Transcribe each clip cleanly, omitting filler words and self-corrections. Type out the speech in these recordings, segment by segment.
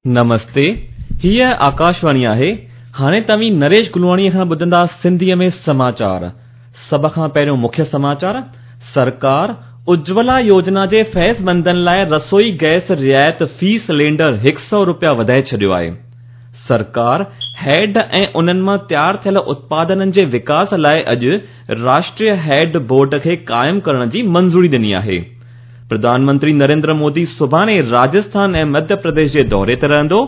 نمستي، هيء آڪاشواڻي آهي. هاڻي توهين نريش گلواڻيء کان ٻڌندا سنڌيء ۾ سماچار. سڀ کان پهريون مکيه سماچار، سرڪار اجولا يوجنا جي فيضمندن لاء رسوئي گئس رعايت في سلينڊر هڪ سئو رپيا وڌائي ڇڏيو آهي. سرڪار هيڊ ۽ انهن مان تيار ٿيل اتپادنن جي وڪاس لاء اڄ راشٽريه هيڊ بورڊ کي قائم ڪرڻ جي منظوري ڏني آهي. پرڌان منتري نريندر مودي سڀاڻي راجسٿان ۽ مڌيه پرديش جي دوري تي رهندو.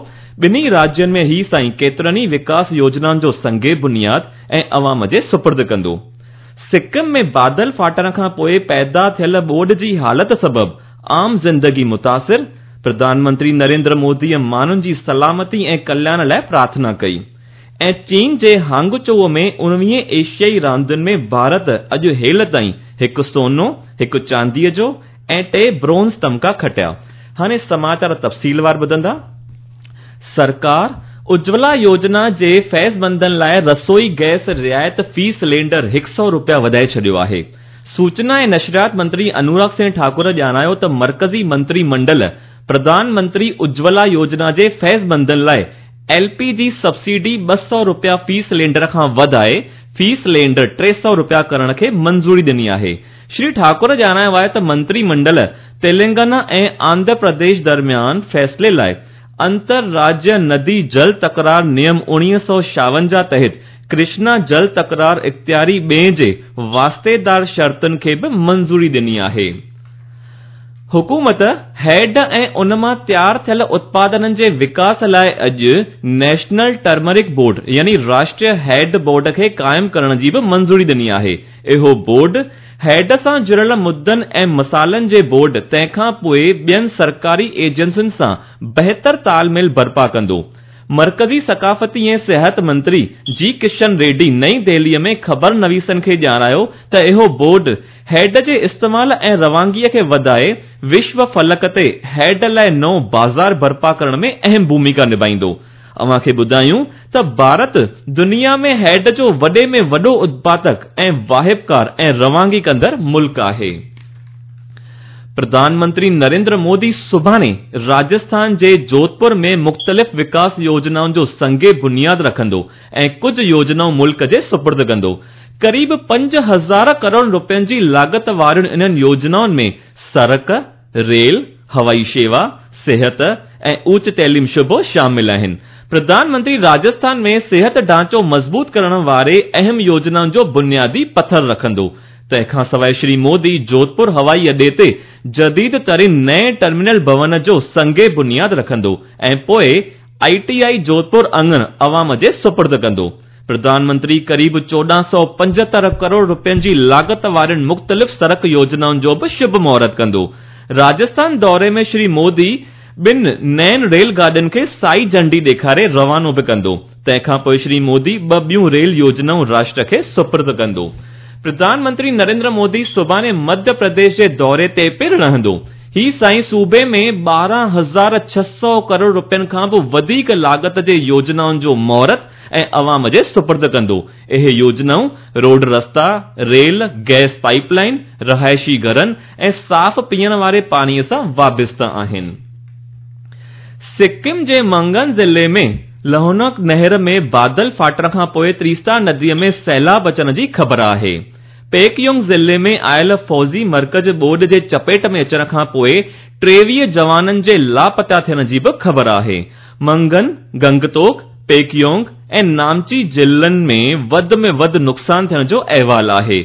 ٻنهي راجين ۾ هي سائين ڪيترن ئي وڪاس يوجنائن جو سنگ بنياد ۽ عوام جي سپرد ڪندو. سڪم ۾ بادل ڦاٽڻ کان پوء پيدا ٿيل ٻوڏ جي حالت سبب عام زندگي متاثر، پرڌان منتري نريندر موديء ماڻهن جي سلامتي ۽ ڪلياڻ لاء پرارٿنا ڪئي ۽ چين جي هانگچوء ۾ اڻويهين ايشيائي راندين ۾ ڀارت اڄ هيل تائين هڪ سونو، هڪ چانديء جو ۽ ٽي برونز تمغا کٽيا. هاڻي سماچار تفصيلوار ٻڌندا. سرڪار اجولا يوجنا جي فيضمندن لاء رسوئي گئس رعايت في سلينڊر هڪ سئو رپيا وڌائي ڇڏيو آهي. سوچنا ۽ نشريات منتري انوراگ سنگهه ٺاڪر ڄاڻايو ته مرڪزي منتري منڊل پرڌان منتري اجولا يوجنا جي فيضمندن لاء ايل پي جي سبسڊي 200 رپيا في سلينڊر کان وڌائي في سلينڊر 300 رپيا ڪرڻ کي منظوري ڏني آهي. شري ٺاڪر ڄاڻايو آهي ته منتري منڊل تيلنگانا ۽ آنڌرا پرديش درميان فيصلي لاء انتر راجيه ندي جل تڪرار نيم 1956 تحت ڪرشنا جل تڪرار اختياري ٻئين جي واسطيدار شرطن کي به منظوري ڏني آهي. حڪومت هيڊ ۽ ان مان تيار ٿيل اتپادنن جي وڪاس لاء اڄ نيشنل ٽرمرڪ بورڊ يعني راشٽريه هيڊ بورڊ کي قائم ڪرڻ جي به منظوري ڏني آهي. اهو بورڊ هيڊ سان جڙيل مدن ۽ مسئلن جي بورڊ تنهن کان پوء ٻين سرڪاري ايجنسين سان بهتر تال ميل برپا ڪندو. مرڪزي ثقافتي ۽ سياحت منتري جي ڪشن ريڊي نئين دهليء ۾ خبر نويسن کي ڄاڻايو ته اهو بورڊ هيڊ جي استعمال ۽ روانگيء کي وڌائي وشو فلڪ تي هيڊ لاء نئون بازار برپا ڪرڻ ۾ اهم ڀوميڪا نڀائيندو. اوهان کي ٻڌايون ته ڀارت دنيا ۾ هيڊ جو وڏي ۾ وڏو اتپادڪ ۽ واهپڪار ۽ روانگي ڪندڙ ملڪ آهي. پرڌان منتري نريندر مودي سڀاڻي راجسٿان جي جوڌپور ۾ مختلف وڪاس يوجنائن جو سنگ بنياد رکندو ۽ ڪجهه يوجنائون ملڪ جي سپرد ڪندو. قريب 5000 ڪروڙ رپين جي لاڳت وارين انهن يوجنائن ۾ سڙڪ، ريل، هوائي شيوا، صحت ۽ اوچ تعليم شعبو شامل آهن. پرڌان منتري راجسٿان ۾ صحت ڍانچو مضبوط ڪرڻ واري اهم يوجنائن جو بنيادي پٿر رکندو. تنهن کان سواء شري مودي جوڌپور هوائي اڏي تي جديد ترين نئين ٽرمينل ڀون جو سنگ بنياد رکندو ۽ پوء I ٽي آء جوڌپور اڱڻ عوام جي سپرد ڪندو. پرڌان منتري قريب 1475 ڪروڙ رپين جي لاڳت وارين مختلف سڙڪ يوجنائن جو به شڀ مهورت ڪندو. راجسٿان دوري ۾ شري مودي ٻن نين ريل گاڏين کي سائي جهنڊي ڏيکاري روانو به ڪندو. تنهن کان پوء شري مودي ٻه ٻيون ريل يوجنائون راشٽر کي سپرد ڪندو. پرڌان منتري نريندر مودي سڀاڻي مڌيه پرديش جي دوري تي پڻ رهندو. هي سائين صوبي ۾ 12,600 ڪروڙ رپين کان به وڌيڪ لاڳت جي يوجنائن جو مهورت ۽ عوام جي سپرد ڪندو. اهي يوجنائون روڊ رستا، ريل، گئس پائيپ لائين، رهائشي گهرن ۽ صاف پيئڻ واري پاڻي سان وابسته آهن. سڪم جي منگن ضلعي ۾ لهونڪ نهر ۾ بادل ڦاٽڻ کان پوء تريستا نديء ۾ سيلاب اچڻ جي خبر آهي. پيڪيونگ ضلعي ۾ آيل فوجي مرڪز ٻوڏ جي چپيٽ ۾ اچڻ کان پوء 23 جوانن جي لاپتا ٿيڻ جي به خبر آهي. منگن، گنگتوڪ، پيڪيونگ ۽ نامچي ضلعن ۾ وڌ ۾ وڌ نقصان ٿيڻ جو احوال آهي.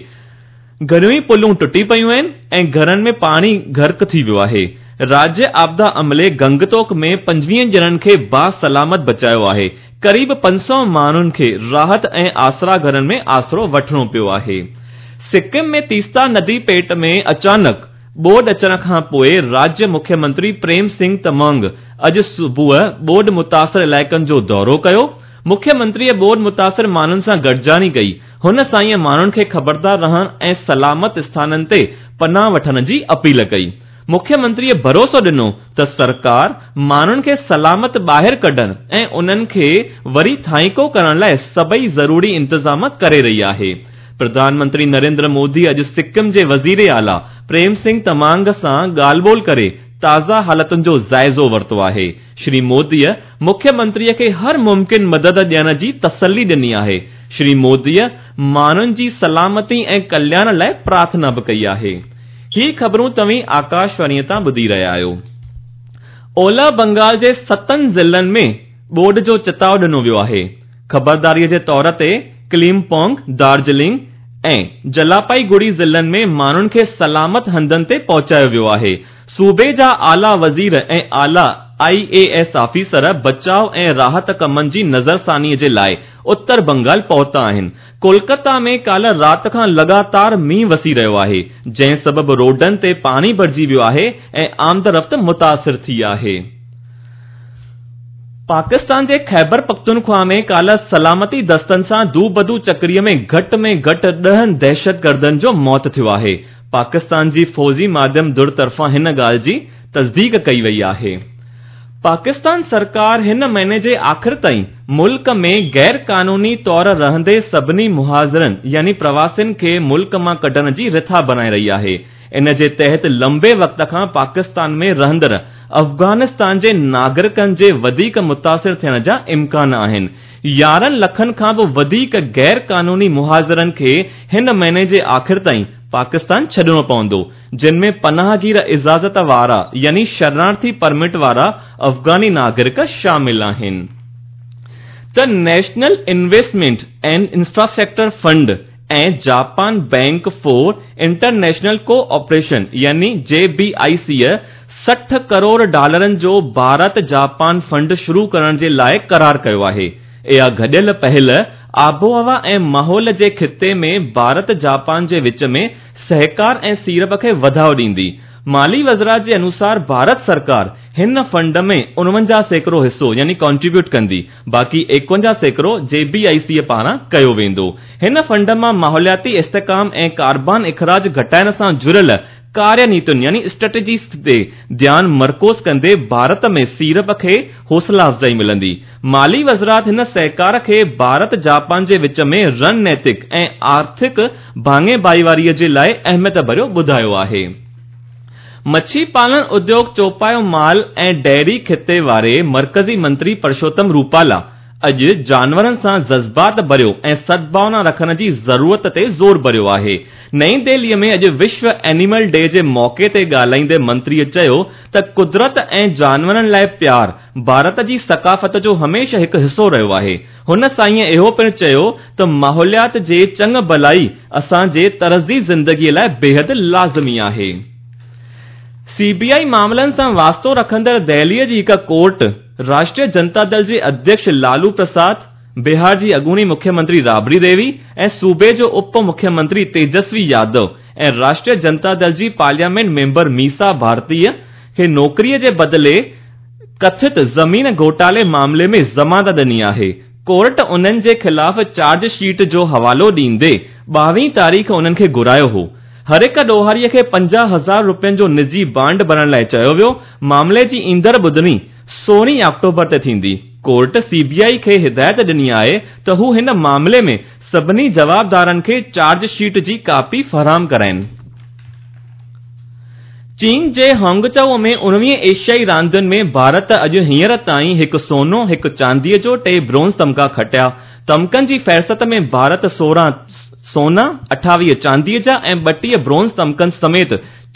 گهڻيون ئي پلون ٽٽي پيون آهن ۽ گهرن ۾ پاڻي غرق ٿي ويو آهي. راجيه آپدا عملي گنگتوڪ ۾ 25 ڄڻن کي باسلامت بچايو آهي. قريب 500 ماڻهن کي راحت ۽ آسرا گهرن ۾ آسرو وٺڻو پيو آهي. سڪم ۾ تيستا ندي پيٽ ۾ اچانڪ ٻوڏ اچڻ کان پوء راجيه مکيه منتري پريم سنگهه تمانگ اڄ صبح ٻوڏ متاثر علائقن جو دورو ڪيو. مکيه منتريء ٻوڏ متاثر ماڻهن سان گڏجاڻي ڪئي. هن سائينء ماڻهن کي خبردار رهڻ ۽ سلامت اسٿانن تي پناهه وٺڻ جي اپيل ڪئي. مکيه منتريء ڀروسو ڏنو ته سرڪار ماڻهن کي سلامت ٻاهر ڪڍڻ ۽ انهن کي وري ٿانيڪو ڪرڻ لاء سڀئي ضروري انتظام ڪري رهي آهي. پرڌان منتري نريندر مودي اڄ سڪم جي وزيراعليٰ پريم سنگهه تمانگ سان ڳالهه ٻولهه ڪري تازه حالتن جو جائزو ورتو آهي. شري موديء مکيه منتريء کي هر ممڪن مدد ڏيڻ جي تسلي ڏني آهي. شري موديء ماڻهن جي سلامتي ۽ ڪلياڻ لاء پرارٿنا به ڪئي آهي. هي خبرون توهين آڪاشواڻيء تان ٻڌي رهيا آهيو. اولهه بنگال جي ستن ضلعن ۾ ٻوڏ جو چتاء ڏنو ويو آهي. خبرداريء جي طور تي ڪليمپونگ، دارجلنگ ۽ جلاپائيگڙي ضلعن ۾ ماڻهن کي سلامت هنڌن تي پهچايو ويو آهي. صوبي جا اعليٰ وزير ۽ اعليٰ آء اي ايس آفيسر بچاء ۽ راحت ڪمن جي نظرثاني جي لاء اتر بنگال پهتا آهن. ڪولڪتا ۾ ڪالهه رات کان لڳاتار مينهن وسي رهيو آهي، جنهن سبب روڊن تي پاڻي ڀرجي ويو آهي ۽ آمدرفت متاثر ٿي آهي. پاڪستان جي خيبر پختونخوا ۾ ڪالهه سلامتي دستن سان دوبدو چڪري ۾ گهٽ ۾ گهٽ ڏهن دهشتگردن جو موت ٿيو آهي. پاڪستان جي فوجي ماڌيم ڌر طرفان هن ڳالهه جي تصديق ڪئي وئي آهي. پاڪستان سرڪار هن مهيني جي آخر تائين ملڪ ۾ غير قانوني طور رهندي سڀني مهاجرن يعني پرواسين کي ملڪ مان ڪڍڻ جي رٿا بڻائي رهي آهي. ان جي تحت لنبي وقت کان پاڪستان ۾ رهندڙ افغانستان جي ناگرڪن جي وڌيڪ متاثر ٿيڻ جا امڪان آهن. 11 لکن کان به وڌيڪ غير قانوني مهاجرن کي هن مهيني جي آخر تائين پاڪستان ڇڏڻو پوندو، جن ۾ پناهگير اجازت وارا يعني شرنارٿي پرمٽ وارا افغاني ناگرڪ شامل آهن. ته national investment and infrastructure fund ۽ Japan bank for international cooperation يعني جي بي آء سيء 60 ڪروڙ ڊالرن جو ڀارت جاپان فنڊ شروع ڪرڻ جي لاء قرار ڪيو آهي. اها گڏيل پهل آبهوا ۽ ماحول جي خطي ۾ ڀارت جاپان جي وچ ۾ سهڪار ۽ سيڙپ کي وڌاء ڏيندي. مالي وزارت جي انوسار ڀارت سرڪار هن فنڊ ۾ 49% حصو يعني ڪنٽريبيوٽ ڪندي، باقي 51% جي بي آء سيء پاران ڪيو ويندو. هن فنڊ مان ماحولياتي استحڪام ۽ ڪاربان اخراج گهٽائڻ سان جڙيل ڪاريه نيتين يعني اسٽريٽجيز تي ڌيان مرڪوز ڪندي ڀارت ۾ سيڙپ کي حوصلا افزائي ملندي. مالي وزارت هن سهڪار کي ڀارت جاپان جي وچ ۾ رڻ نيتڪ ۽ آرٿڪ ڀاڱي ڀائيواري جي لاء اهميت ڀريو ٻڌايو آهي. مڇي پالڻ اديوگ چوپايو مال ۽ ڊيري خطي واري مرڪزي منتري پرشوتم روپالا اڄ جانورن سان جذبات ڀريو ۽ سدڀاونا رکڻ جي ضرورت تي زور ڀريو آهي. نئين دهلي ۾ اڄ وشو اينيمل ڊي جي موقعي تي ڳالهائيندي منتري چيو ته قدرت ۽ جانورن لاء پيار ڀارت جي ثقافت جو هميشه هڪ حصو رهيو آهي. هن سائينء اهو پڻ چيو ته ماحوليات جي چڱ ڀلائي اسان جي طرزي زندگيء لاء بيحد لازمي آهي. سي بي آء معاملن سان واسطو رکندڙ دهليء جي هڪ ڪورٽ راشٽريه جنتا دل جي اڌيڪش لالو پرساد، بهار جي اڳوڻي مکيه منتري رابڙي ديوي ۽ صوبي جو اپ مکيه منتري تيجسوي يادو ۽ راشٽريه جنتا دل جي پارليامينٽ ميمبر ميسا ڀارتيء کي نوڪريء جي بدلي ڪٿت زمين گهوٽالي معاملي ۾ ضمانت ڏني آهي. ڪورٽ انهن جي خلاف چارج شيٽ جو حوالو ڏيندي 22 تاريخ انهن کي گهرايو هو. هر هڪ ڏوهاري کي 50 هزار رپين جو نجي بانڊ ڀرڻ لاء چيو ويو. معاملي جي ايندڙ ٻڌڻي 16 آڪٽوبر تي ٿيندي. ڪورٽ سي بي آء کي هدايت ڏني آهي ته هو هن معاملي ۾ سڀني جوابدارن کي چارج شيٽ جي ڪاپي فراهم ڪرائين. چين جي هانگچائو ۾ 19 ايشيائي راندين ۾ ڀارت اڄ هينئر تائين هڪ سونو، هڪ چانديء جو، ٽي برونز تمغا کٽيا. تمغن جي فهرست ۾ ڀارت 16 سونا، 28 چانديء جا ۽ 32 برونز تمغن سميت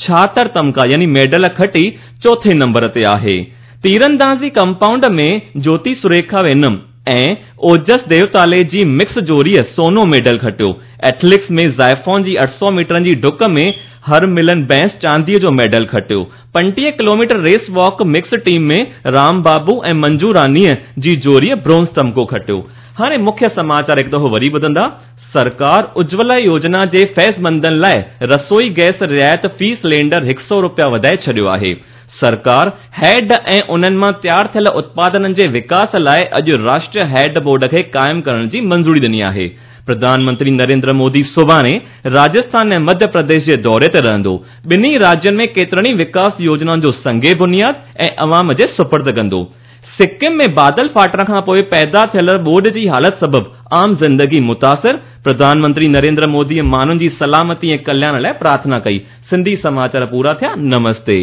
76 تمغا يعني ميڊل کٽي چوٿين نمبر تي آهي. تيراندازي ڪمپائونڊ ۾ جوتي سريکا وينم ۽ اوجس ديوتالي جي مڪس جوڙيء سونو ميڊل کٽيو. ايٿليٽڪس ۾ زائفون جي 800 ميٽرن جي ڊڪ ۾ هر ملن بينس چانديء جو ميڊل کٽيو. 35 kilometre race walk mix team ۾ Ram Babu ۽ Manju رانيء جي جوڙيء برونز تمغو کٽيو. هاڻي مکيه سماچار هڪ دفعو وري ٻڌندا. سرڪار اجولا يوجنا جي فيضمندن لاء رسوئي گئس رعايت في سلينڊر هڪ سئو رپيا وڌائي ڇڏيو آهي. سرڪار هيڊ ۽ انهن مان تيار ٿيل اتپادنن جي وڪاس لاء اڄ راشٽريه هيڊ بورڊ کي قائم ڪرڻ جي منظوري ڏني آهي. پرڌان منتري نريندر مودي سڀاڻي راجسٿان ۽ مڌيه پرديش جي دوري تي رهندو. ٻنهي راجين ۾ ڪيترن ئي وڪاس يوجنائن جو سنگ بنياد ۽ عوام جي سپرد ڪندو. سڪم ۾ بادل ڦاٽڻ کان پوء پيدا ٿيل ٻوڏ جي حالت سبب عام زندگي متاثر، پرڌان منتري نريندر موديء ماڻهن جي سلامتي ۽ ڪلياڻ لاء پرارٿنا ڪئي. سنڌي سماچار پورا ٿيا، نمستي.